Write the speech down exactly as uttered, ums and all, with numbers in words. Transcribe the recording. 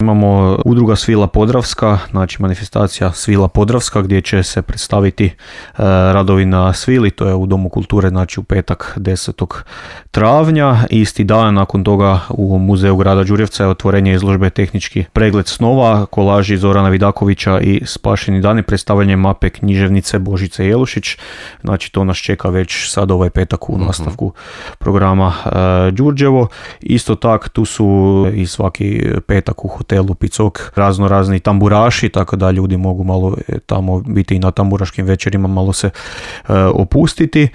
Imamo udruga Svila Podravska, znači manifestacija Svila Podravska gdje će se predstaviti e, radovi na svili, to je u Domu kulture, znači u petak desetog travnja. Isti dan nakon toga u Muzeju grada Đurđevca je otvorenje izložbe Tehnički pregled snova, kolaži Zorana Vidakovića i Spašeni dani, predstavljanje mape književnice Božice Jelušić. Znači to nas čeka već sad ovaj petak u nastavku programa e, Đurđevo. Isto tak tu su i svaki petak u hotelu Picok razno razni tamburaši, tako da ljudi mogu malo tamo biti i na tamburaškim večerima, malo se e, opustiti.